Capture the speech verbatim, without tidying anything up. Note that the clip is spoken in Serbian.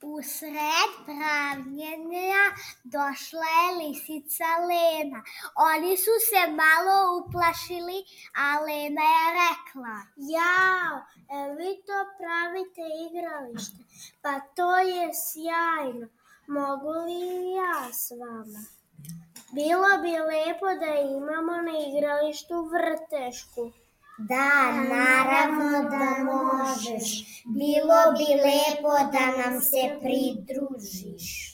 U sred pravljenja došla je lisica Lena. Oni su se malo uplašili, a Lena je rekla: Jao, e vi to pravite igralište? Pa to je sjajno. Mogu li ja s vama? Bilo bi lepo da imamo na igralištu vrtešku. Da, naravno da možeš. Bilo bi lepo da nam se pridružiš.